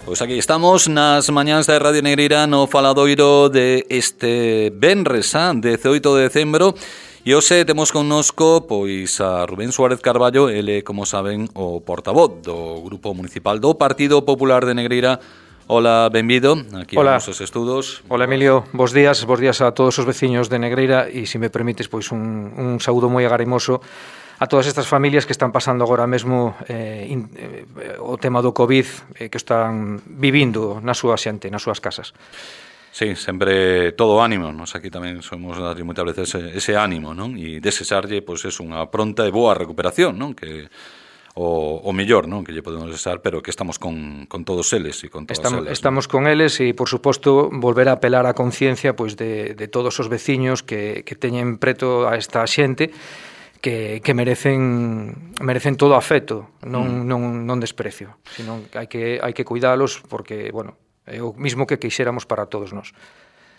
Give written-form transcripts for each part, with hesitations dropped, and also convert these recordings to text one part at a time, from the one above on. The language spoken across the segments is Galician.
Pois aquí estamos nas mañáns da Radio Negreira no faladoiro de este venres, 18 de decembro. E hoxe temos connosco pois a Rubén Suárez Carballo, ele, como saben, o portavoz do Grupo Municipal do Partido Popular de Negreira. Hola, benvido, aquí a nosos estudos. Hola, Emilio, bos días a todos os veciños de Negreira e, se me permites, pois un saúdo moi agarimoso a todas estas familias que están pasando agora mesmo o tema do COVID, que están vivindo na súa xente, nas súas casas. Sí, sempre todo ánimo, nos aquí tamén somos darlle moitas veces ese ánimo, non? E desexarlle, pois, é unha pronta e boa recuperación, non? Que o mellor, non, que lle podemos desexar, pero que estamos con todos eles e con todas elas. Estamos con eles e, por suposto, volver a apelar á conciencia pois de todos os veciños que teñen preto a esta xente que merecen todo afecto, non desprecio, sino hai que cuidalos porque, bueno, é o mismo que quixéramos para todos nós.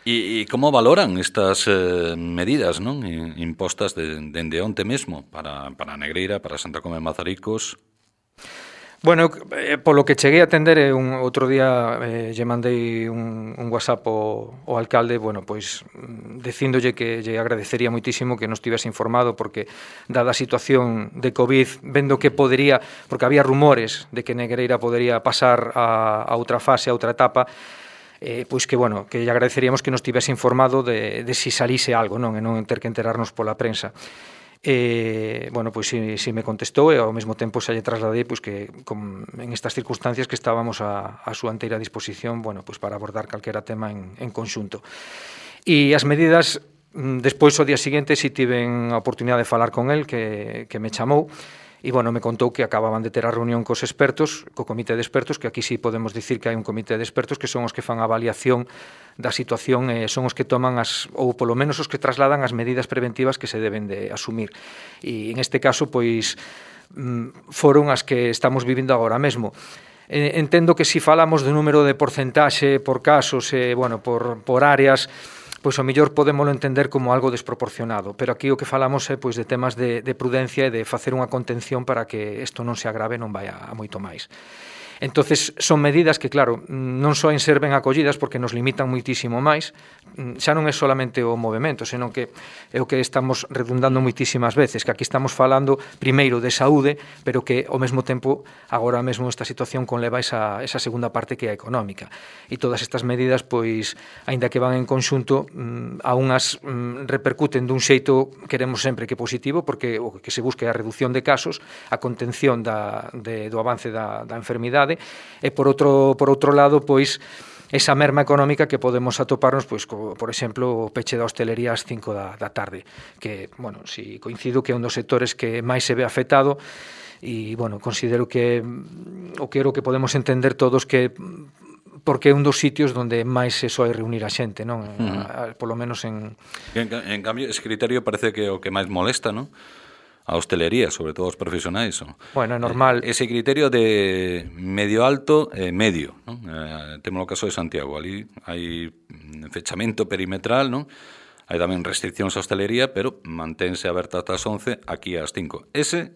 E como valoran estas medidas, non, impostas dende onte mesmo para Negreira, para Santa Comba de Mazaricos? Bueno, polo que cheguei a atender, outro día lle mandei un WhatsApp ao alcalde, bueno, pois dicíndolle que lle agradecería moitísimo que nos tivese informado, porque dada a situación de COVID, vendo que podería, porque había rumores de que Negreira podería pasar a outra fase, a outra etapa, pois que, bueno, que lle agradeceríamos que nos tivese informado de si salise algo, non, e non ter que enterarnos pola prensa. Bueno, pois si me contestou e ao mesmo tempo xa lle trasladei pois que en estas circunstancias que estábamos a súa inteira disposición, bueno, pois para abordar calquera tema en conxunto. E as medidas, despois o día seguinte si tiven a oportunidade de falar con el, que me chamou. E, bueno, me contou que acababan de ter a reunión cos expertos, co comité de expertos, que aquí sí podemos dicir que hai un comité de expertos que son os que fan a avaliación da situación e son os que toman ou polo menos os que trasladan as medidas preventivas que se deben de asumir. E en este caso, pois, foron as que estamos vivindo agora mesmo. Entendo que si falamos do número de porcentaxe por casos, bueno, por áreas, pois ao mellor podémolo entender como algo desproporcionado, pero aquí o que falamos é pois de temas de prudencia e de facer unha contención para que isto non se agrave, non vai a moito máis. Entonces, son medidas que, claro, non só ser ben acollidas porque nos limitan moitísimo máis, xa non é solamente o movimento, senón que é o que estamos redundando moitísimas veces, que aquí estamos falando primeiro de saúde, pero que ao mesmo tempo agora mesmo esta situación conleva esa segunda parte que é a económica. E todas estas medidas, pois, aínda que van en conxunto, a unhas repercuten dun xeito, queremos sempre que positivo, porque o que se busca é a reducción de casos, a contención do avance da enfermidade, e por outro lado, pois, esa merma económica que podemos atoparnos, pois, por exemplo, o peche da hostelería ás 5 da tarde, que, bueno, si coincido que é un dos sectores que máis se ve afectado, e, bueno, considero que o que podemos entender todos que porque é un dos sitios onde máis se soe reunir a xente, non? Polo menos en cambio, ese criterio parece que é o que máis molesta, non? A hostelería, sobre todo os profesionais. Bueno, é normal. Ese criterio de medio alto e medio, non? Temos o caso de Santiago, ali hai fechamento perimetral, non? Hai tamén restriccións á hostelería, pero mantense aberta ata as 11, aquí ás 5. Ese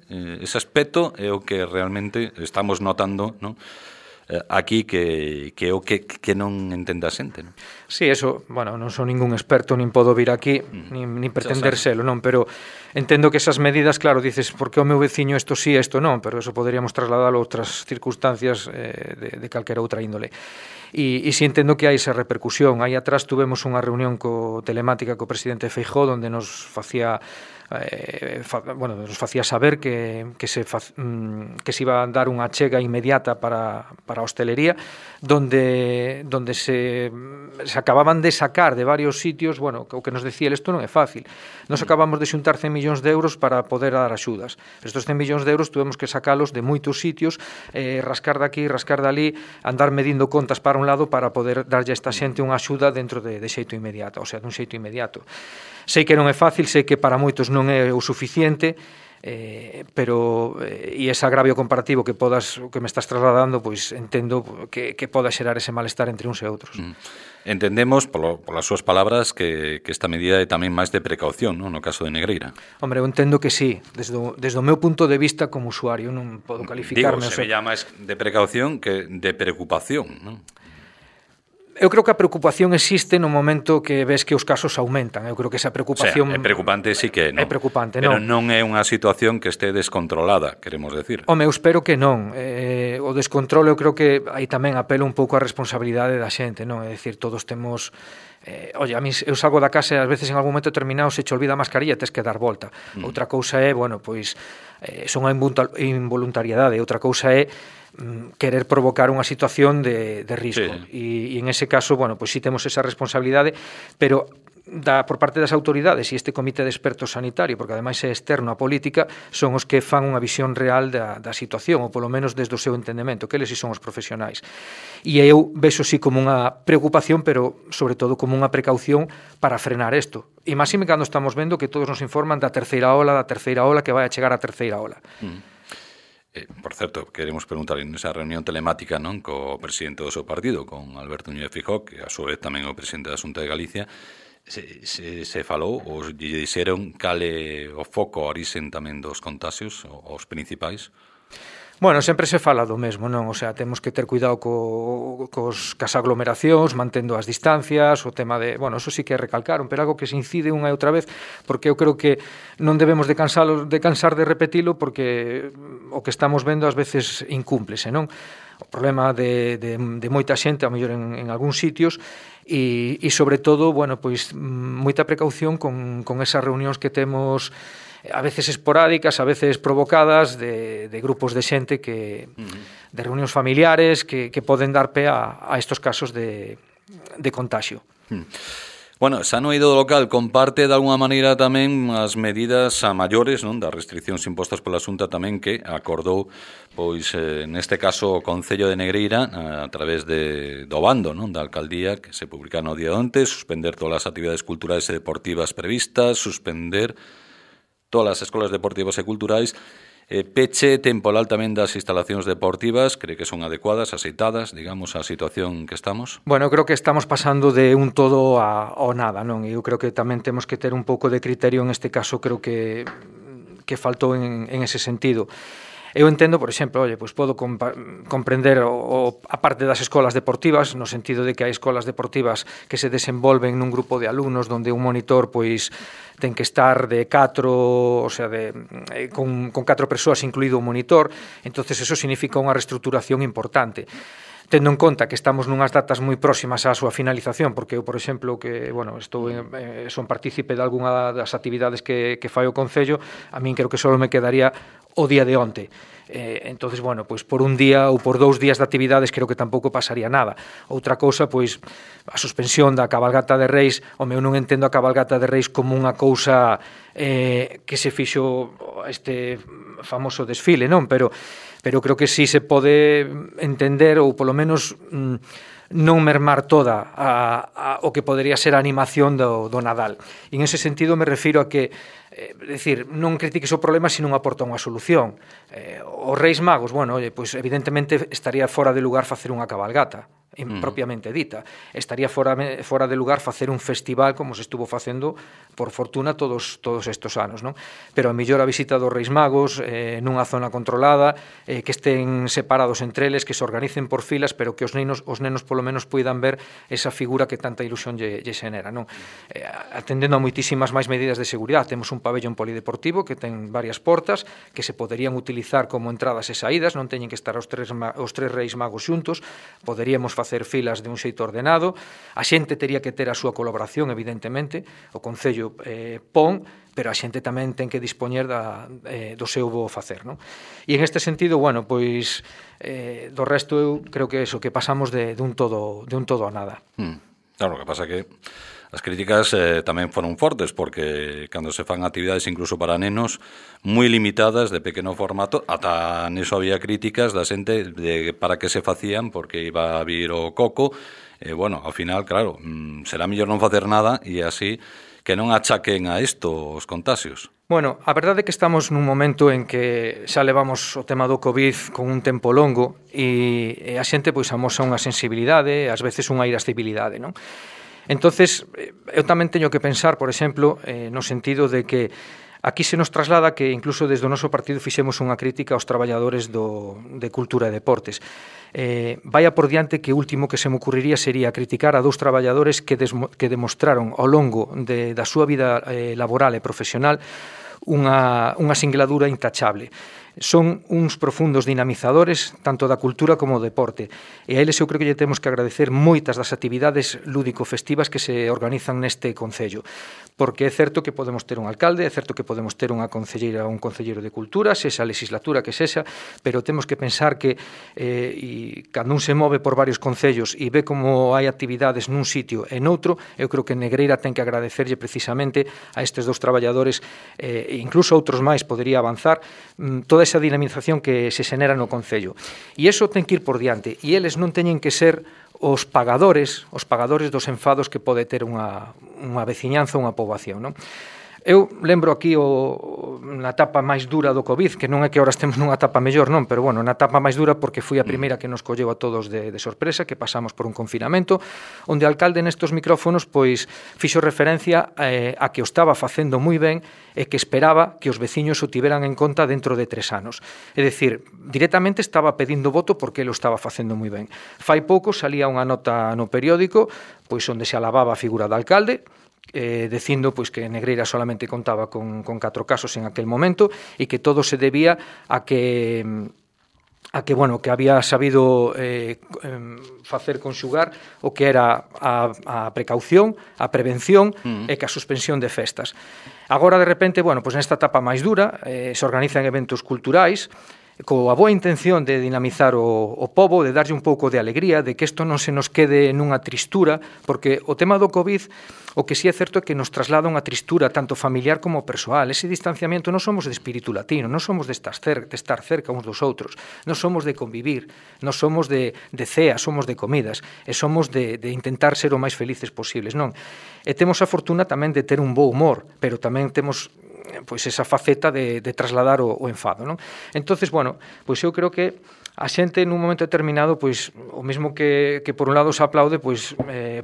aspecto é o que realmente estamos notando, non? Aquí que é o que non entende a xente, non? Sí, eso, bueno, non son ningún experto, nin podo vir aquí, nin pretender selo, non, pero entendo que esas medidas, claro, dices, por que o meu veciño isto sí, isto non, pero eso poderíamos trasladalo a outras circunstancias de calquera outra índole. E si entendo que hai esa repercusión. Aí atrás tuvemos unha reunión telemática co presidente Feijóo, onde nos facía saber que se iba a dar unha achega inmediata para a hostelería, donde se acababan de sacar de varios sitios, bueno, o que nos decía, isto non é fácil. Nos acabamos de xuntar 100 millóns de euros para poder dar axudas. Estos 100 millóns de euros tuvemos que sacalos de moitos sitios, rascar daqui, rascar dali, andar medindo contas para un lado para poder darlle a esta xente unha axuda dentro de xeito inmediato, o sea, dun xeito inmediato. Sei que non é fácil, sei que para moitos non é o suficiente, pero e ese agravio comparativo que me estás trasladando, pois entendo que poda xerar ese malestar entre uns e outros. Entendemos, polas súas palabras, que esta medida é tamén máis de precaución, non, no caso de Negreira. Hombre, eu entendo que sí, desde o meu punto de vista como usuario, non podo calificarme. Digo, se veía máis de precaución que de preocupación, non? Eu creo que a preocupación existe no momento que ves que os casos aumentan. Eu creo que esa preocupación... O sea, é preocupante, sí que non. É preocupante, pero non. non é unha situación que este descontrolada, queremos decir. Home, eu espero que non. O descontrolo, eu creo que aí tamén apelo un pouco a responsabilidade da xente, non? É dicir, todos temos... a mí eu salgo da casa e ás veces en algún momento determinado se te olvida a mascarilla e tes que dar volta. Outra cousa é, bueno, pois son a involuntariedade, outra cousa é querer provocar unha situación de risco. E en ese caso, bueno, pois sí temos esa responsabilidade, pero por parte das autoridades e este comité de expertos sanitario, porque ademais é externo á política, son os que fan unha visión real da situación, ou polo menos desde o seu entendemento, que eles si son os profesionais. E eu vexo sí como unha preocupación, pero sobre todo como unha precaución para frenar isto. E máxime cando estamos vendo que todos nos informan da terceira ola que vai a chegar a terceira ola. Por certo, queremos preguntar en esa reunión telemática, non, co presidente do seu partido, con Alberto Núñez Feijóo, que a súa vez tamén o presidente da Xunta de Galicia, se falou, ou lle dixeron cal é o foco, a orixen tamén dos contagios, os principais? Bueno, sempre se fala do mesmo, non? O sea, temos que ter cuidado cas aglomeracións, mantendo as distancias, o tema de... Bueno, eso sí que recalcaron, pero algo que se incide unha e outra vez, porque eu creo que non debemos de cansar de repetilo, porque o que estamos vendo ás veces incúmplese, non? O problema de moita xente, a mellor en algúns sitios, e sobre todo, bueno, pois moita precaución con esas reunións que temos a veces esporádicas, a veces provocadas de grupos de xente de reunións familiares que poden dar pé a estos casos de contagio. Bueno, xa no eido do local comparte de alguna maneira tamén as medidas a maiores, non, das restriccións impostas pola Xunta tamén que acordou, pois neste caso o Concello de Negreira a través do bando, non, da alcaldía que se publica no día de onte, suspender todas as actividades culturais e deportivas previstas, suspender todas as escolas deportivas e culturais, peche temporal tamén das instalacións deportivas, cree que son adecuadas, aceitadas, digamos, a situación que estamos? Bueno, eu creo que estamos pasando de un todo ao nada, non? Eu creo que tamén temos que ter un pouco de criterio en este caso, creo que faltou en ese sentido. Eu entendo, por exemplo, pois podo comprender a parte das escolas deportivas, no sentido de que hai escolas deportivas que se desenvolven nun grupo de alumnos onde un monitor pois ten que estar de 4, o sea, con 4 persoas incluído o monitor, entonces eso significa unha reestruturación importante. Tendo en conta que estamos nunhas datas moi próximas á súa finalización, porque eu, por exemplo, que, bueno, son partícipe de algunha das actividades que fai o Concello, a min creo que só me quedaría o día de onte. Entonces, bueno, pois por un día ou por 2 días de actividades creo que tampouco pasaría nada. Outra cousa, pois, a suspensión da cabalgata de Reis, eu non entendo a cabalgata de Reis como unha cousa que se fixo este famoso desfile, non? Pero creo que sí se pode entender, ou polo menos non mermar toda o que podería ser a animación do Nadal. E en ese sentido me refiro a que decir, non critiques o problema se non aporta unha solución. Os Reis Magos, bueno, pois evidentemente estaría fora de lugar facer unha cabalgata propiamente dita. Estaría fora de lugar facer un festival como se estuvo facendo, por fortuna, todos estes anos, non? Pero a mellor a visita dos Reis Magos nunha zona controlada, que estén separados entre eles, que se organicen por filas, pero que os nenos polo menos poidan ver esa figura que tanta ilusión lle xenera, non? Atendendo a moitísimas máis medidas de seguridade, temos un pabellón polideportivo que ten varias portas que se poderían utilizar como entradas e saídas, non teñen que estar os tres Reis Magos xuntos, poderíamos facer filas de un xeito ordenado, a xente tería que ter a súa colaboración, evidentemente, o Concello pon, pero a xente tamén ten que dispoñer do seu bo facer, non? E en este sentido, bueno, pois do resto eu creo que eso, que pasamos de un todo a nada. Claro, o que pasa que as críticas tamén foron fortes, porque cando se fan actividades incluso para nenos moi limitadas, de pequeno formato, ata neso había críticas da xente de para que se facían, porque iba a vir o coco, bueno, ao final, claro, será mellor non facer nada e así que non achaquen a isto os contagios. Bueno, a verdade é que estamos nun momento en que xa levamos o tema do COVID con un tempo longo e a xente pois amosa unha sensibilidade, ás veces unha irascibilidade, non? Entonces, eu tamén teño que pensar, por exemplo, no sentido de que aquí se nos traslada que incluso desde o noso partido fixemos unha crítica aos traballadores de cultura e deportes. Vaya por diante que o último que se me ocurriría sería criticar a 2 traballadores que demostraron ao longo da súa vida laboral e profesional unha singladura intachable. Son uns profundos dinamizadores tanto da cultura como do deporte e a eles eu creo que lle temos que agradecer moitas das actividades lúdico-festivas que se organizan neste concello, porque é certo que podemos ter un alcalde, é certo que podemos ter unha concelleira ou un concelleiro de cultura, sexa a legislatura que sexa, pero temos que pensar que cando un se move por varios concellos e ve como hai actividades nun sitio e noutro, eu creo que Negreira ten que agradecerlle precisamente a estes 2 traballadores e incluso outros máis podería avanzar toda esa dinamización que se xenera no concello. E iso ten que ir por diante. E eles non teñen que ser os pagadores dos enfados que pode ter unha veciñanza, unha poboación, non? Eu lembro aquí na etapa máis dura do COVID, que non é que ahora estemos nunha etapa mellor, non, pero bueno, na etapa máis dura porque foi a primeira que nos colleu a todos de sorpresa, que pasamos por un confinamento, onde o alcalde nestos micrófonos pois fixo referencia a que o estaba facendo moi ben e que esperaba que os veciños o tiveran en conta dentro de 3 anos. É dicir, directamente estaba pedindo voto porque ele o estaba facendo moi ben. Fai pouco salía unha nota no periódico pois onde se alababa a figura do alcalde, dicindo pois que Negreira solamente contaba con 4 casos en aquel momento e que todo se debía a que bueno, que había sabido facer conxugar o que era a precaución, a prevención e que a suspensión de festas. Agora, de repente, bueno, pois nesta etapa máis dura, se organizan eventos culturais coa boa intención de dinamizar o pobo, de darlle un pouco de alegría, de que isto non se nos quede nunha tristura, porque o tema do COVID, o que sí é certo é que nos traslada unha tristura tanto familiar como persoal. Ese distanciamento non somos de espírito latino, non somos de estar cerca uns dos outros, non somos de convivir, non somos de ceas, somos de comidas, e somos de intentar ser o máis felices posibles, non? E temos a fortuna tamén de ter un bo humor, pero tamén temos pois esa faceta de trasladar o enfado, non? Entonces, bueno, pois eu creo que a xente nun momento determinado, pois o mesmo que por un lado se aplaude, pois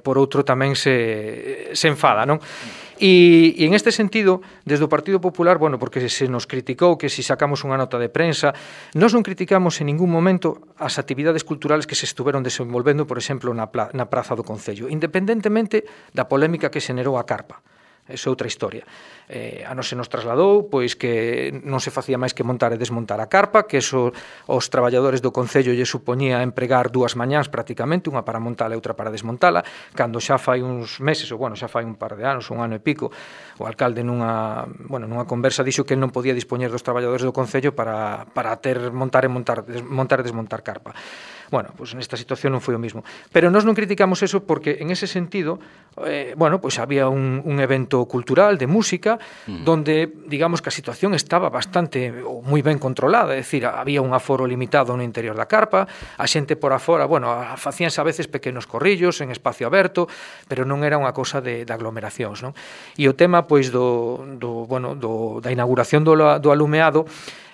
por outro tamén se enfada, non? E en este sentido, desde o Partido Popular, bueno, porque se nos criticou que si sacamos unha nota de prensa, nós non criticamos en ningún momento as actividades culturales que se estuveron desenvolvendo, por exemplo, na Praza do Concello, independentemente da polémica que xenerou a carpa. Esa é outra historia. A nos se nos trasladou pois que non se facía máis que montar e desmontar a carpa, que eso os traballadores do Concello lle supoñía empregar 2 mañáns prácticamente, unha para montala e outra para desmontala, cando xa fai uns meses, ou bueno, xa fai un par de anos, un ano e pico, o alcalde nunha conversa dixo que non podía dispoñer dos traballadores do Concello para ter montar e desmontar carpa. Bueno, pois nesta situación non foi o mismo. Pero nós non criticamos eso porque en ese sentido, pois había un evento cultural de música donde, digamos que a situación estaba bastante ou moi ben controlada, é dicir, había un aforo limitado no interior da carpa, a xente por afora, bueno, facíanse a veces pequenos corrillos en espacio aberto, pero non era unha cousa de aglomeracións, non? E o tema, pois, da inauguración do alumeado,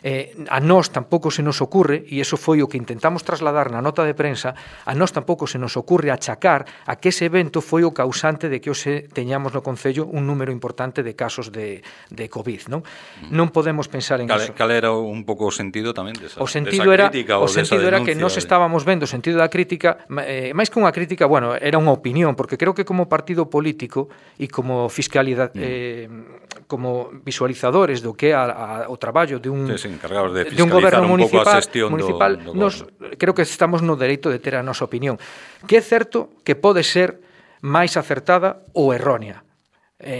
a nós tampouco se nos ocurre, e iso foi o que intentamos trasladar na nota de prensa, a nós tampouco se nos ocurre achacar a que ese evento foi o causante de que hoxe teñamos no Concello un número importante de casos de COVID, non? Non podemos pensar en iso. Cal era un pouco o sentido tamén desa crítica ou desa denuncia? O sentido era que nós estábamos vendo o sentido da crítica, máis que unha crítica, bueno, era unha opinión, porque creo que como partido político e como fiscalidade, como visualizadores do que é o traballo de un encargados de fiscalizar un pouco a xestión do nos creo que estamos no dereito de ter a nosa opinión, que é certo que pode ser máis acertada ou errónea.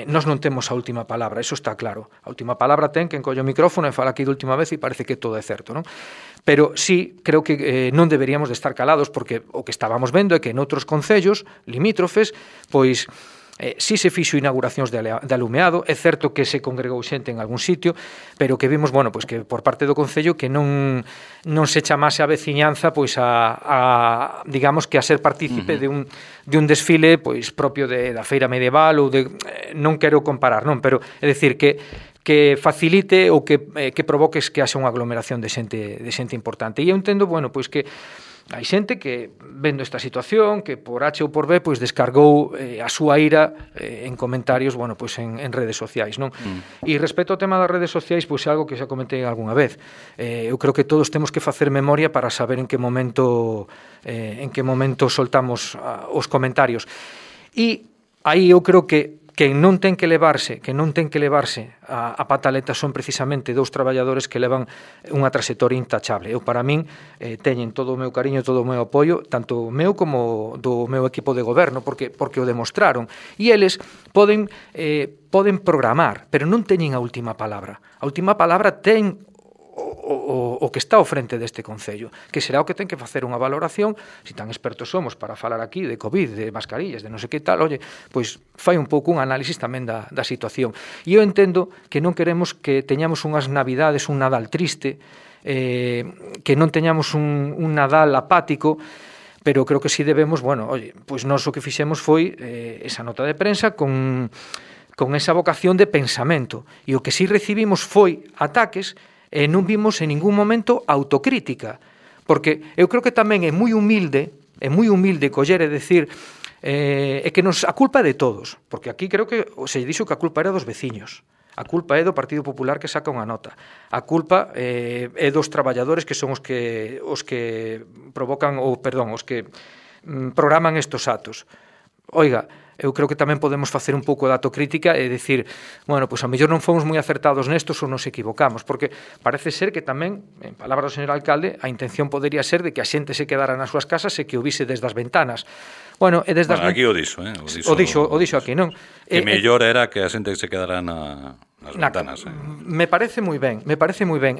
Nós non temos a última palabra, eso está claro. A última palabra ten quen colle o micrófono e fala aquí de última vez e parece que todo é certo, non? Pero sí, creo que non deberíamos de estar calados porque o que estábamos vendo é que en outros concellos limítrofes, pois si se fixo inauguracións de alumeado, é certo que se congregou xente en algún sitio, pero que vimos, bueno, pois que por parte do Concello que non se chamase a veciñanza pois a digamos que a ser partícipe de un desfile pois propio da feira medieval ou de non quero comparar, non, pero é dicir que que facilite ou que provoques que haxa unha aglomeración de xente importante. E eu entendo, bueno, pois que hai xente que, vendo esta situación, que por H ou por B, pois descargou a súa ira en comentarios, bueno, pois en redes sociais, non? E respecto ao tema das redes sociais, pois é algo que xa comentei algunha vez. Eu creo que todos temos que facer memoria para saber en que momento soltamos os comentarios. E aí eu creo que non ten que levarse a pataleta son precisamente dous traballadores que levan unha trayectoria intachable. Eu, para min, teñen todo o meu cariño, todo o meu apoio, tanto o meu como do meu equipo de goberno, porque o demostraron. E eles poden programar, pero non teñen a última palabra. A última palabra ten o que está ao frente deste Concello, que será o que ten que facer unha valoración, se tan expertos somos para falar aquí de COVID, de mascarillas, de non sei que tal, oye, pois fai un pouco un análisis tamén da situación. E eu entendo que non queremos que teñamos unhas navidades, un Nadal triste, que non teñamos un Nadal apático, pero creo que si debemos, bueno, oye, pois nós o que fixemos foi esa nota de prensa con esa vocación de pensamento, e o que si recibimos foi ataques e non vimos en ningún momento autocrítica, porque eu creo que tamén é moi humilde coller e decir que a culpa é de todos, porque aquí creo que se dixo que a culpa era dos veciños, a culpa é do Partido Popular que saca unha nota, a culpa é dos traballadores que son os que provocan, os que programan estos actos. Oiga, eu creo que tamén podemos facer un pouco de autocrítica e dicir, bueno, pois a mellor non fomos moi acertados nestos ou nos equivocamos, porque parece ser que tamén, en palabras do señor alcalde, a intención podería ser de que a xente se quedara nas súas casas e que o vise desde as ventanas. Bueno, e desde aquí o dixo, o dixo aquí, non? Que mellor era que a xente se quedara nas ventanas. Me parece moi ben.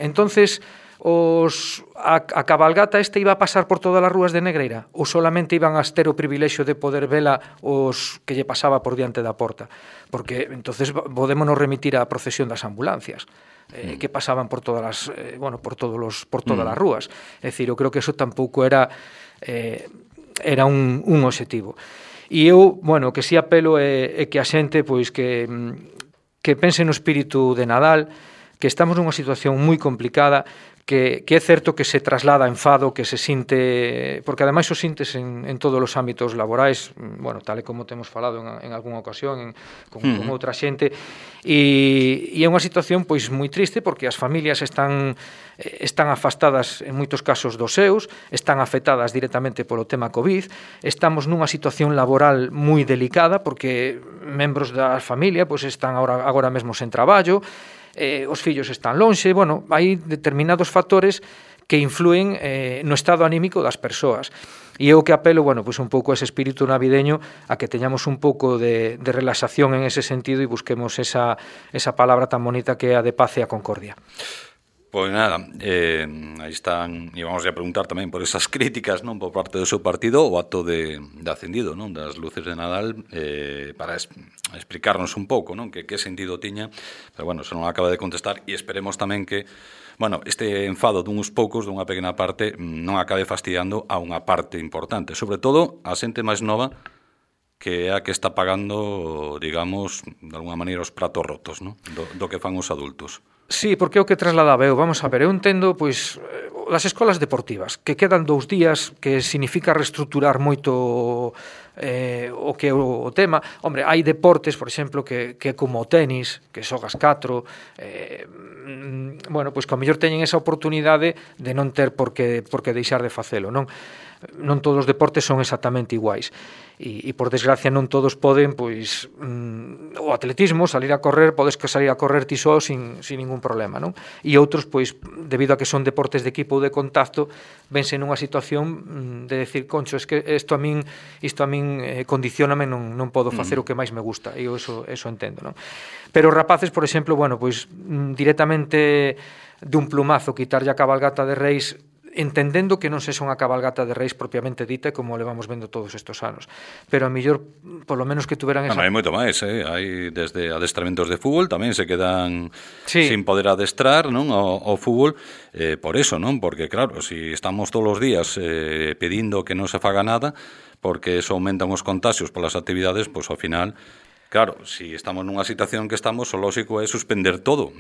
Entonces, a cabalgata iba a pasar por todas as rúas de Negreira ou solamente iban a ter o privilexio de poder vela os que lle pasaba por diante da porta? Porque entonces podémonos remitir á procesión das ambulancias que pasaban por todas as por todas as rúas. É dicir, eu creo que eso tampouco era un obxectivo. E eu, bueno, que si apelo é que a xente pois que pense no espírito de Nadal, que estamos nunha situación moi complicada, que é certo que se traslada enfado, que se sinte, porque ademais o sintes en todos os ámbitos laborais, bueno, tal e como temos falado en algunha ocasión con outra xente, e é unha situación pois moi triste porque as familias están afastadas en moitos casos dos seus, están afectadas directamente polo tema COVID, estamos nunha situación laboral moi delicada porque membros da familia pois están agora mesmo sen traballo, os fillos están lonxe, bueno, hai determinados factores que influen no estado anímico das persoas. E eu que apelo, bueno, pois un pouco a ese espírito navideño, a que teñamos un pouco de relaxación en ese sentido e busquemos esa palabra tan bonita que é a de paz e a concordia. Pois nada, aí están, e vamos a preguntar tamén por esas críticas, non, por parte do seu partido, o acto de acendido, non, das luces de Nadal, para explicarnos un pouco, non, que sentido tiña, pero bueno, se non acaba de contestar, e esperemos tamén que, bueno, este enfado dunhos poucos, dunha pequena parte, non acabe fastidiando a unha parte importante, sobre todo a xente máis nova, que é a que está pagando, digamos, de alguna maneira os pratos rotos, non, do que fan os adultos. Sí, porque é o que trasladaba eu. Vamos a ver, eu entendo, pois, as escolas deportivas, que quedan 2 días, que significa reestruturar moito o que é o tema. Hombre, hai deportes, por exemplo, que como o tenis, que xogas 4, bueno, pois que ao mellor teñen esa oportunidade de non ter por que deixar de facelo, non? Non todos os deportes son exactamente iguais. E por desgracia non todos poden, pois, o atletismo, salir a correr, podes que salir a correr ti só sin ningún problema, non? E outros, pois, debido a que son deportes de equipo ou de contacto, vense nunha situación de decir, concho, es que isto a min condicióname, non podo facer o que máis me gusta, e eu eso entendo, non? Pero os rapaces, por exemplo, bueno, pois, directamente de un plumazo quitarlle a cabalgata de Reis, entendendo que non sexa unha cabalgata de Reis propiamente dita como levamos vendo todos estes anos, pero a mellor polo menos que tuveran esa... Hai moito máis, hai desde adestramentos de fútbol, tamén se quedan sin poder adestrar, non, ao fútbol, por eso, non, porque claro, si estamos todos os días pedindo que non se faga nada, porque eso aumentan os contagios polas actividades, pois ao final Claro, si estamos nunha situación que estamos, o lógico é suspender todo,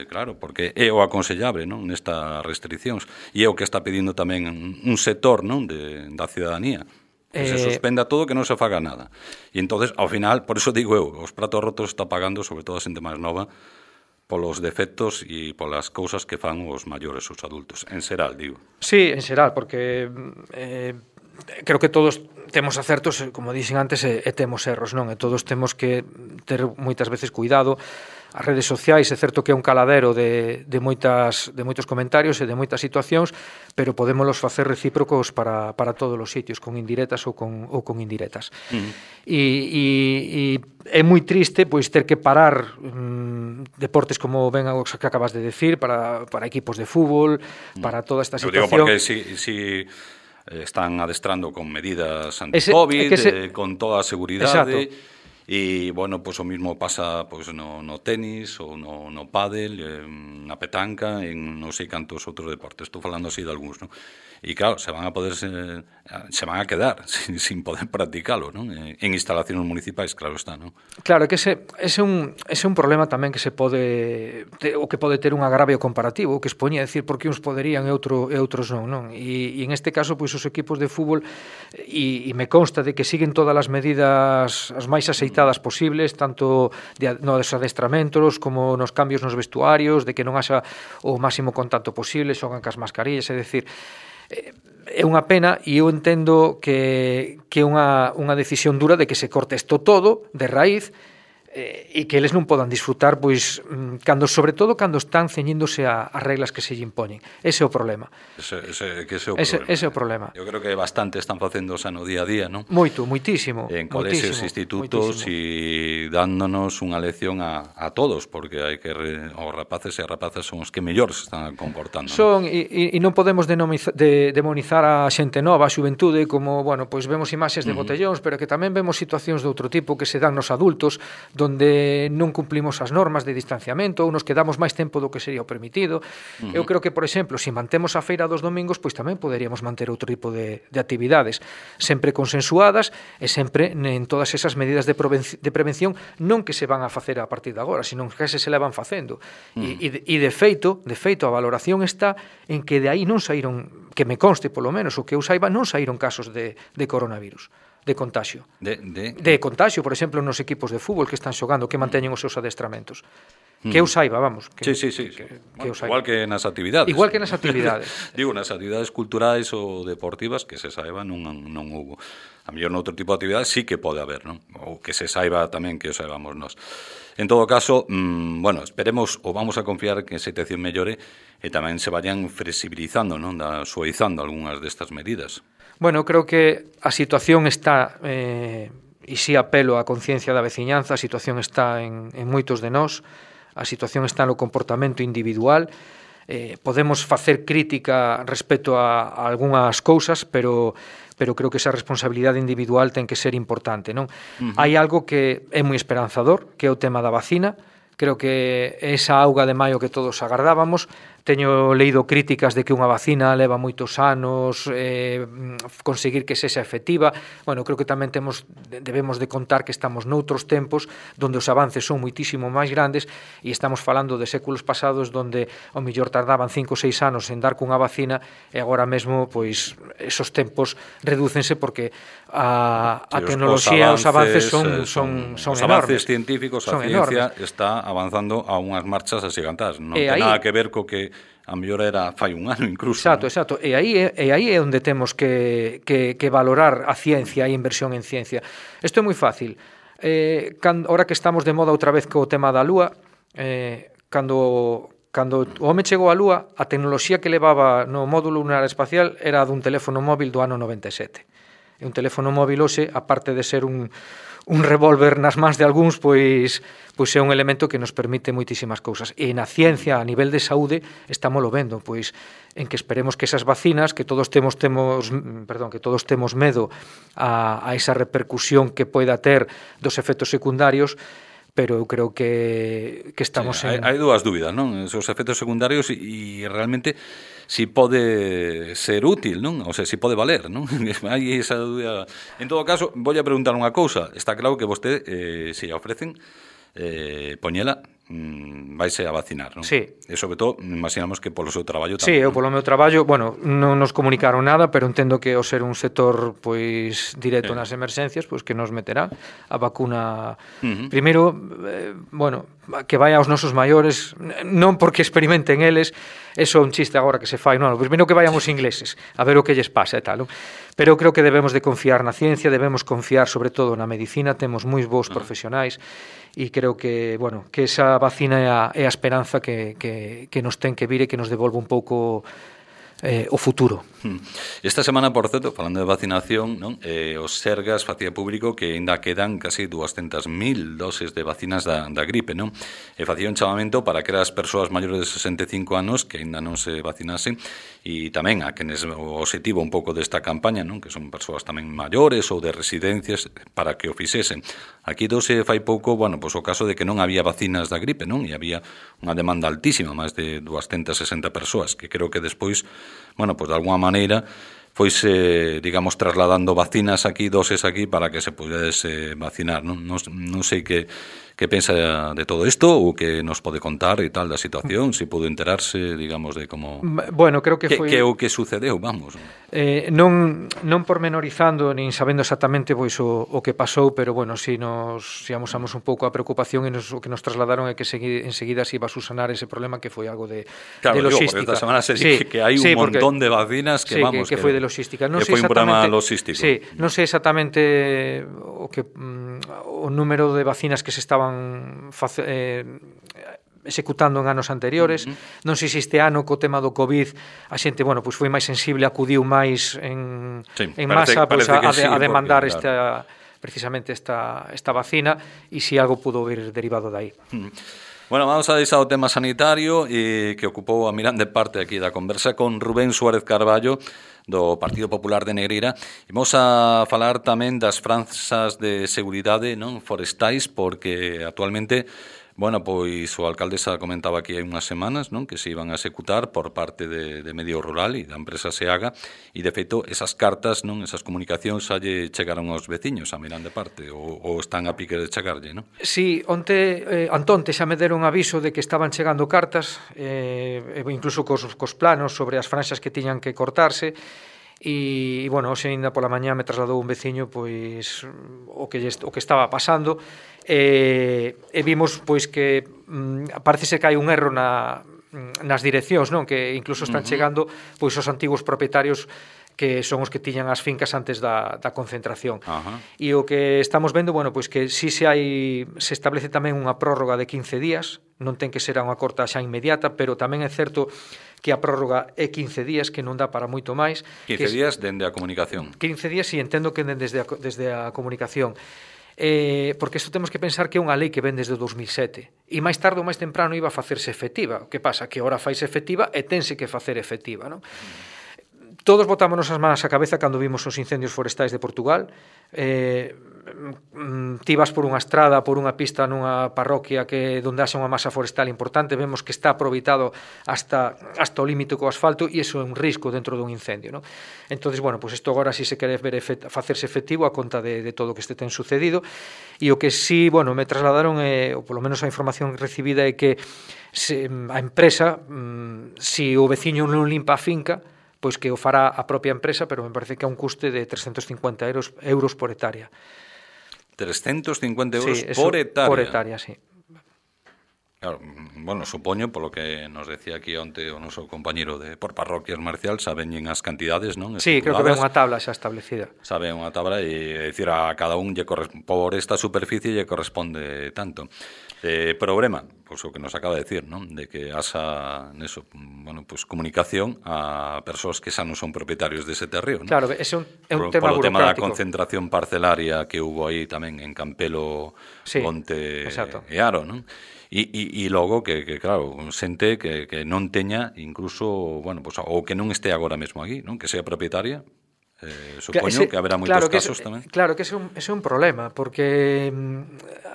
claro, porque é o aconsellable, non, nestas restriccións, e é o que está pedindo tamén un sector, non, da ciudadanía, que se suspenda todo, que non se faga nada. E entonces, ao final, por iso digo eu, os pratos rotos está pagando, sobre todo a xente máis nova, polos defectos e polas cousas que fan os maiores, os adultos, en xeral, digo. Sí, en xeral, porque creo que todos temos acertos, como dixen antes, e temos erros, non? E todos temos que ter moitas veces cuidado. As redes sociais é certo que é un caladero de moitos comentarios e de moitas situacións, pero podémolos facer recíprocos para todos os sitios, con indirectas ou con indirectas. E é moi triste pois ter que parar deportes como ben o que acabas de decir, para equipos de fútbol, para toda esta situación. Eu digo porque si están adestrando con medidas anti-COVID, con toda a seguridade. E, bueno, pois o mismo pasa pois no tenis ou no pádel, na petanca, en non sei cantos outros deportes. Estou falando así de algúns, non? E, claro, se van a quedar sin poder practicalo, non? En instalacións municipais, claro está, non? Claro, que ese é un problema tamén que se pode ter un agravio comparativo, que expoñía decir por que uns poderían e outros non? E en este caso, pois os equipos de fútbol, e me consta de que siguen todas as medidas as máis aceitadas posibles, tanto nos adestramentos como nos cambios nos vestuarios, de que non haxa o máximo contacto posible, xogan cas mascarillas, é dicir, é unha pena, e eu entendo que é unha decisión dura de que se corte isto todo de raíz, e que eles non podan disfrutar, pois, sobre todo cando están ceñíndose ás reglas que se lle impoñen. Ese é o problema. Ese é o problema. Eu creo que bastante están facendo xa no día a día, non? Moitísimo. En colexios, institutos, e dándonos unha lección a todos, porque hai que os rapaces e as rapazas son os que mellor se están comportando. Son, e non podemos demonizar a xente nova, a xuventude, como, bueno, pois vemos imaxes de botellóns, pero que tamén vemos situacións de outro tipo que se dan nos adultos, donde non cumplimos as normas de distanciamento ou nos quedamos máis tempo do que sería o permitido. Eu creo que, por exemplo, se mantemos a feira dos domingos, pois tamén poderíamos manter outro tipo de actividades, sempre consensuadas e sempre en todas esas medidas de prevención, non que se van a facer a partir de agora, sino que se levan facendo. E de feito, a valoración está en que de aí non saíron, que me conste polo menos, o que eu saiba, non saíron casos de coronavirus, de contagio. De contagio, por exemplo, nos equipos de fútbol que están xogando, que manteñen os seus adestramentos. Que eu saiba, vamos. Sí. Igual que nas actividades. Igual que nas actividades. Digo, nas actividades culturais ou deportivas, que se saiba, non hubo. A mellor noutro tipo de actividades sí que pode haber, non? Ou que se saiba tamén que o saibamos nós. En todo caso, bueno, esperemos ou vamos a confiar que a situación mellore e tamén se vayan flexibilizando, non? Suavizando algunhas destas medidas. Bueno, creo que a situación está, e si apelo á conciencia da veciñanza, a situación está en moitos de nós, a situación está no comportamento individual, podemos facer crítica respecto a algunhas cousas, pero creo que esa responsabilidade individual ten que ser importante, non? Hai algo que é moi esperanzador, que é o tema da vacina. Creo que esa auga de maio que todos agardábamos, teño leído críticas de que unha vacina leva moitos anos conseguir que sexa efectiva. Bueno, creo que tamén debemos de contar que estamos noutros tempos donde os avances son moitísimo máis grandes e estamos falando de séculos pasados donde ao mellor tardaban 5 ou 6 anos en dar cunha vacina e agora mesmo pois esos tempos redúcense porque a tecnoloxía, os avances son enormes. Os avances científicos, a ciencia está avanzando a unhas marchas axigantadas. Non ten nada que ver co que a mellor era fai un ano incluso. Exacto. E aí é onde temos que valorar a ciencia e a inversión en ciencia. Isto é moi fácil. Ahora que estamos de moda outra vez co tema da Lúa, cando o home chegou á Lúa, a tecnoloxía que levaba no módulo lunar espacial era dun teléfono móvil do ano 97. E un teléfono móvil hoxe, aparte de ser un revólver nas mans de algúns, pois é un elemento que nos permite moitísimas cousas. E na ciencia, a nivel de saúde, estámoslo vendo, pois en que esperemos que esas vacinas, que todos temos medo a esa repercusión que poida ter dos efectos secundarios, pero eu creo que estamos Hai dúas dúbidas, non? Os efectos secundarios e realmente si pode ser útil, non? O sea, si pode valer, non? Hai esa dúbida. En todo caso, voulle preguntar unha cousa. Está claro que vostede, se a ofrecen, poñela, vaise a vacinar, non? Sí. E sobre todo, imaginamos que polo seu traballo tamén. Sí, eu polo meu traballo, bueno, non nos comunicaron nada, pero entendo que ao ser un sector pois directo nas emerxencias, pois que nos meterá a vacuna. Primeiro, bueno, que vai aos nosos maiores, non porque experimenten eles, eso é un chiste agora que se fai, non, primeiro que vayan os ingleses, a ver o que lles pasa e tal, non? Pero eu creo que debemos de confiar na ciencia, debemos confiar sobre todo na medicina, temos moi bons profesionais, e creo que, bueno, que esa vacina é a esperanza que nos ten que vir e que nos devolve un pouco o futuro. Esta semana, por certo, falando de vacinación, non? Os Sergas facía público que ainda quedan casi 200.000 doses de vacinas da gripe, non? E facía un chamamento para que as persoas maiores de 65 anos que ainda non se vacinasen, e tamén a quenes o objetivo un pouco desta campaña, non? Que son persoas tamén maiores ou de residencias, para que o fixesen. Aquí se fai pouco, bueno, pois o caso de que non había vacinas da gripe, non? E había unha demanda altísima, máis de 260 persoas, que creo que despois, bueno, pois de alguma maneira foise, digamos, trasladando vacinas aquí, doses aquí, para que se pudese vacinar, non? Non sei que pensa de todo isto ou que nos pode contar e tal da situación, se pudo enterarse, digamos, de como... Bueno, creo que foi... Que o que sucedeu, vamos. Non pormenorizando, nin sabendo exactamente pois o que pasou, pero, bueno, si amosamos un pouco a preocupación e o que nos trasladaron é que enseguida se iba a susanar ese problema, que foi algo de logística. Porque esta semana se dice que hai un montón de vacinas que, vamos... que foi de logística. Que foi un programa logístico. Sí, non sei exactamente o número de vacinas que se estaban executando en anos anteriores. Non sei se este ano co tema do COVID a xente, bueno, pois foi máis sensible, acudiu máis en masa pois a demandar precisamente esta vacina, e se algo pudo vir derivado dai. Bueno, vamos a deixar o tema sanitario que ocupou a mirande parte aquí da conversa con Rubén Suárez Carballo do Partido Popular de Negreira, e vamos a falar tamén das franzas de seguridade, non, forestais, porque actualmente, bueno, pois o alcaldesa comentaba aquí hai unhas semanas, non, que se iban a executar por parte de Medio Rural e da empresa Seaga, e de feito esas cartas, non, esas comunicacións xa lle chegaron aos veciños a mirande parte, ou están a pique de chegarlle, non? Sí, antonte xa me deron aviso de que estaban chegando cartas, incluso cos planos sobre as franxas que tiñan que cortarse. E, bueno, hoxe ainda pola mañá me trasladou un veciño pois o que estaba pasando, e vimos pois que parece ser que hai un erro nas direccións, non? Que incluso están chegando pois os antigos propietarios, que son os que tiñan as fincas antes da concentración. E o que estamos vendo, bueno, pois que si se establece tamén unha prórroga de 15 días, non ten que ser unha corta xa inmediata, pero tamén é certo que a prórroga é 15 días, que non dá para moito máis. 15 días dende a comunicación. 15 días, si entendo que desde a comunicación. Porque isto temos que pensar que é unha lei que ven desde 2007, e máis tarde ou máis temprano iba a facerse efectiva. O que pasa? Que ahora faise efectiva e tense que facer efectiva, non? Todos botámonos as manos á cabeza cando vimos os incendios forestais de Portugal. Ti vas por unha estrada, por unha pista nunha parroquia onde haxa unha masa forestal importante, vemos que está aproveitado hasta o límite co asfalto, e iso é un risco dentro dun incendio, non? Entonces, bueno, pues isto agora si se quere facerse efectivo a conta de todo o que este ten sucedido. E o que si, bueno, me trasladaron, ou polo menos a información recibida, é que a empresa, si o veciño non limpa a finca, pois que o fará a propia empresa, pero me parece que é un custe de 350 euros por hectárea. 350 euros por hectárea? Por hectárea, sí. Claro, bueno, supoño, polo que nos decía aquí onte o noso compañeiro por parroquias, Marcial, saben as cantidades, non? Sí, creo que ven unha tabla xa establecida. Saben unha tabla, e dicir, a cada un por esta superficie lle corresponde tanto. Problema, pois o que nos acaba de decir, non? De que haxa neso, bueno, pois comunicación a persoas que xa non son propietarios dese terreo, non? Claro, ese é un tema burocrático. Polo tema da concentración parcelaria que hubo aí tamén en Campelo, Ponte e Aro, non? E logo que claro, xente que non teña incluso, bueno, pois, ou que non este agora mesmo aquí, non? Que sea propietaria, Supoño que haberá moitos casos tamén. Claro, que ese é un problema, porque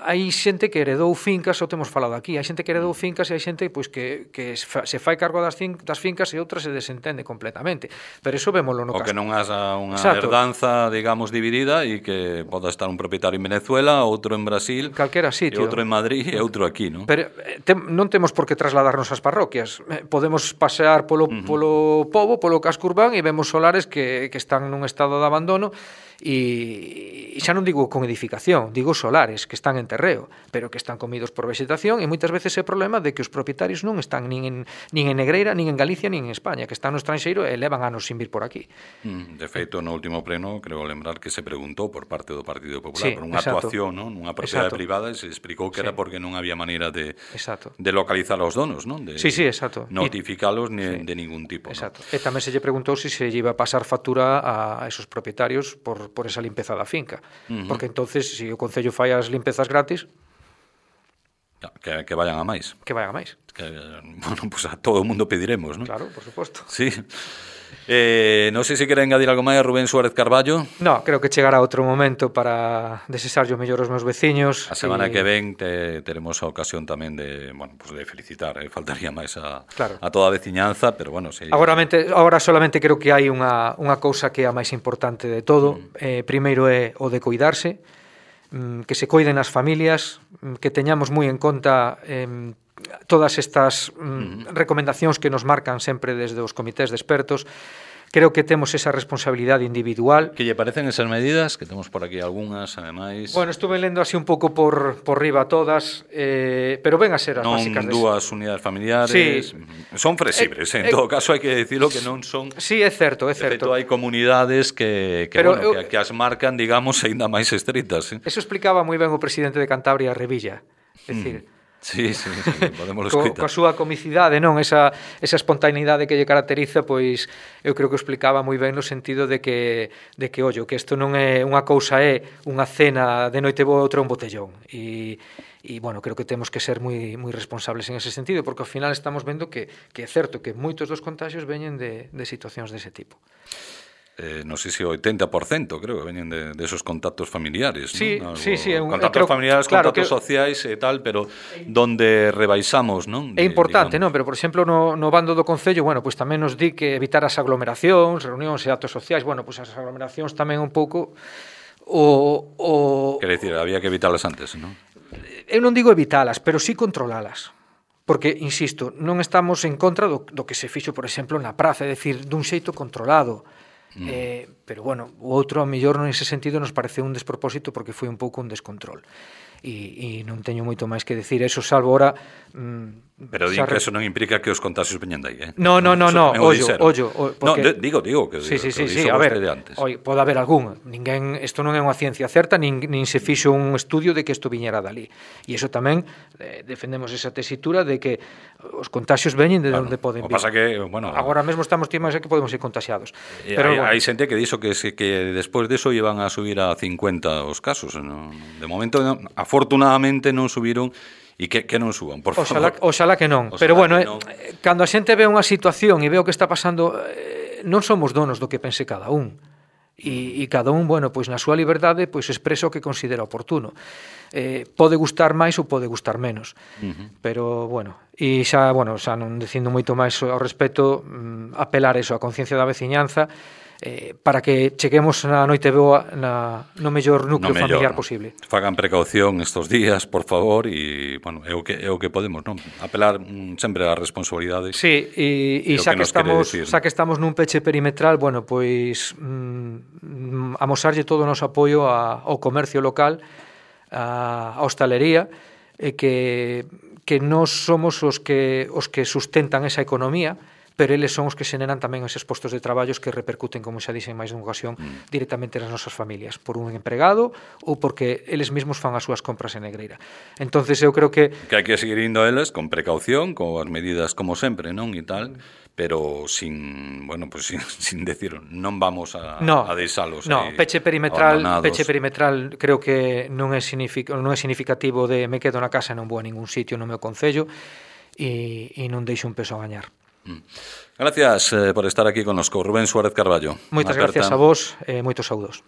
hai xente que heredou fincas, o temos falado aquí, hai xente que heredou fincas e hai xente pois, que se fai cargo das fincas e outra se desentende completamente. Pero iso vémolo no caso. O que non haxa unha herdanza, digamos, dividida e que poda estar un propietario en Venezuela, outro en Brasil, calquera sitio, e outro en Madrid e outro aquí, non? Pero non temos por que trasladarnos ás parroquias. Podemos pasear polo pobo, polo casco urbán e vemos solares que están nun estado de abandono e xa non digo con edificación, digo solares que están en terreo, pero que están comidos por vegetación e moitas veces é problema de que os propietarios non están nin en Negreira, nin en Galicia, nin en España, que están no estranxeiro e levan anos sin vir por aquí. De feito, no último pleno, creo lembrar que se preguntou por parte do Partido Popular por unha actuación, non? Nunha propiedade privada e se explicou que era porque non había maneira de localizar aos donos, non? De notificalos de ningún tipo. Exacto. E tamén se lle preguntou se lle iba a pasar factura a esos propietarios por esa limpeza da finca. Porque entonces, se o Concello fai as limpezas gratis, que vayan a máis. Que vayan a máis. Bueno, pues a todo o mundo pediremos, non? Claro, por suposto. Sí. Non sei se quere engadir algo máis, Rubén Suárez Carballo. No, creo que chegará outro momento para desexarlle o mellor aos meus veciños. A semana que ven teremos a ocasión tamén de felicitar, faltaría máis a toda a veciñanza, pero bueno, Agora solamente creo que hai unha cousa que é a máis importante de todo. Primeiro é o de coidarse, que se coiden as familias, que teñamos moi en conta todas estas recomendacións que nos marcan sempre desde os comités de expertos. Creo que temos esa responsabilidade individual. Que lle parecen esas medidas? Que temos por aquí algunhas, ademais. Bueno, estuve lendo así un pouco por riba todas, pero ven a ser as básicas. Non dúas unidades familiares. Sí. Son flexibles, en todo caso hai que dicilo que non son. Sí, é certo, é certo. De feito, hai comunidades que as marcan, digamos, aínda máis estritas. Eso explicaba moi ben o presidente de Cantabria, Revilla. É dicir, Sí, podemos escoitar. Coa súa comicidade, non? Esa espontaneidade que lle caracteriza, pois eu creo que o explicaba moi ben no sentido de que ollo, que isto non é unha cousa, é unha cena de noite boa, outra un botellón. E bueno, creo que temos que ser moi responsables en ese sentido, porque ao final estamos vendo que é certo que moitos dos contagios veñen de situacións dese tipo. Non sei se o 80% creo que veñen de esos contactos familiares, sí, ¿no? Sí, contactos familiares, claro, contactos sociais e tal, pero donde rebaixamos, non? É importante, non? Pero, por exemplo, no bando do Concello, bueno, pois tamén nos di que evitar as aglomeracións, reunións e actos sociais, bueno, pois as aglomeracións tamén un pouco Quer dicir, había que evitalas antes, non? Eu non digo evitalas, pero sí controlalas. Porque, insisto, non estamos en contra do que se fixo, por exemplo, na praza, é dicir, dun xeito controlado. Pero bueno, o outro a mellor nese sentido nos pareceu un despropósito porque foi un pouco un descontrol e non teño moito máis que decir eso, salvo ora pero din que eso non implica que os contagios veñan dai, No, ollo porque... digo que sí, a ver, pode haber algún, isto non é unha ciencia certa, nin se fixo un estudio de que isto viñera dali, e iso tamén defendemos esa tesitura de que os contagios veñen de onde poden vir. Pasa que, bueno, agora mesmo estamos tímados que podemos ser contagiados, pero hai xente que dixo que despois deso iban a subir a 50 os casos, ¿no? De momento afortunadamente non subiron. E que non suban, por favor. Oxalá que non. Pero bueno, cando a xente ve unha situación e ve o que está pasando, non somos donos do que pense cada un. E cada un, bueno, pois na súa liberdade, pois expresa o que considera oportuno. Pode gustar máis ou pode gustar menos. Pero, bueno, e xa non dicindo moito máis ao respecto, apelar eso, a conciencia da veciñanza, para que cheguemos na noite boa no mellor núcleo familiar posible. Fagan precaución estes días, por favor, e, bueno, é o que podemos, non? Apelar sempre á responsabilidade. Sí, e xa que estamos nun peche perimetral, bueno, pois amosarlle todo o noso apoio ao comercio local, a hostalería, que nós somos os que sustentan esa economía, pero eles son os que xeneran tamén eses postos de traballos que repercuten, como xa dixen máis dunha ocasión, directamente nas nosas familias, por un empregado ou porque eles mesmos fan as súas compras en Negreira. Entonces eu creo que hai que seguir indo a eles con precaución, con as medidas como sempre, non? E tal, pero sin decir, non vamos a deixalos aí. Peche perimetral creo que non é significativo de me quedo na casa e non vou a ningún sitio no meu concello e non deixo un peso a gañar. Gracias por estar aquí connosco, Rubén Suárez Carballo. Moitas gracias a vos e moitos saúdos.